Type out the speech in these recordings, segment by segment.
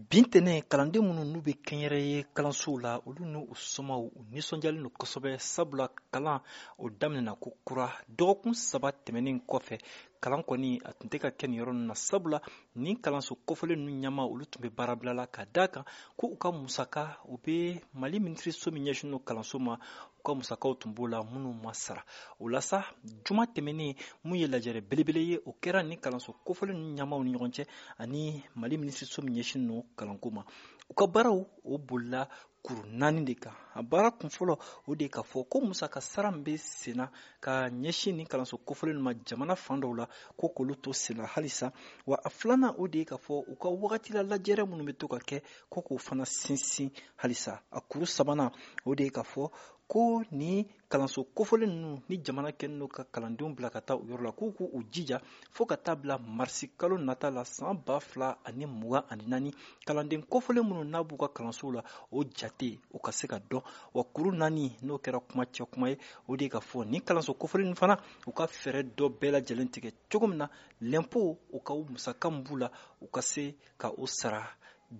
Bi ntɛnɛn, kalanden minnu n'u bɛ kɛnyɛrɛye kalansow la, olu n'u somaw, u nisɔndiyalen don kosɛbɛ, sabula kalan o daminɛna ko kura dɔgɔkun 3 tɛmɛnen kɔfɛ. Kalan kɔni a tun tɛ ka kɛ nin yɔrɔ ninnu na, sabula nin kalanso kofɔlen ninnu ɲɛmaa, olu tun bɛ baarabila la, ka d'a kan ko u ka musaka, u bɛ Mali minisiriso min ɲɛsinnen don kalanso ma, u ka musakaw tun b'o la minnu ma sara. O la sa, juma tɛmɛnen, mun ye lajɛrɛ belebele ye, o kɛra nin kalanso kofɔlen ninnu ɲɛmaaw ni ɲɔgɔn cɛ ani Mali minisiriso min ɲɛsinnen don kalanko ma. U ka baaraw o bolila kuru naani de kan. A baara kunfɔlɔ, o de ye k'a fɔ ko musaka sara min bɛ senna ka ɲɛsin nin kalanso kofɔlen ma jamana fan dɔw la, ko k'olu to senna halisa. Wa a filanan, o de ye k'a fɔ u ka wagati la lajɛrɛ minnu bɛ to ka kɛ, ko k'o fana sinsin halisa. A kuru sabanan, o de ye k'a fɔ ko ni kalanso kofɔlen ninnu ni jamana kɛlen don ka kalandenw bila ka taa o yɔrɔ la, k'u k'u jija fo ka taa bila marisi kalo nata la san 2024, kalanden kofɔlen minnu n'a b'u ka kalansow la, o jate o ka se ka dɔn. Wa kuru naani, n'o kɛra kuma cɛ kuma ye, o de ye ka fɔ ni kalanso kofɔlen ninnu fana, u ka fɛɛrɛ dɔ bɛɛ lajɛlen tigɛ cogo min na lɛnpo, u ka musaka min b'u la, u ka se ka o sara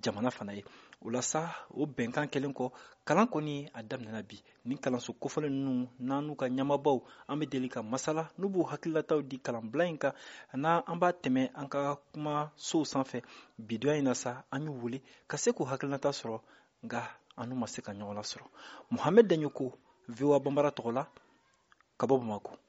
jamana fana ye. O la sa, o bɛnkan kɛlen kɔ, kalan kɔni a daminɛna bi. Ni kalanso kofɔlen ninnu n'an n'u ka ɲɛmaabaw, an bɛ deli ka masala n'u b'u hakililataw di kalanbila in kan, n'an an b'a tɛmɛ an ka kumasow sanfɛ. Bidonya in na sa, an y'u wele ka se k'u hakilinata sɔrɔ, nka an n'u ma se ka ɲɔgɔn lasɔrɔ. Mohamed Daɲoko, VOA Banbara tɔgɔ la, ka bɔ Bamakɔ.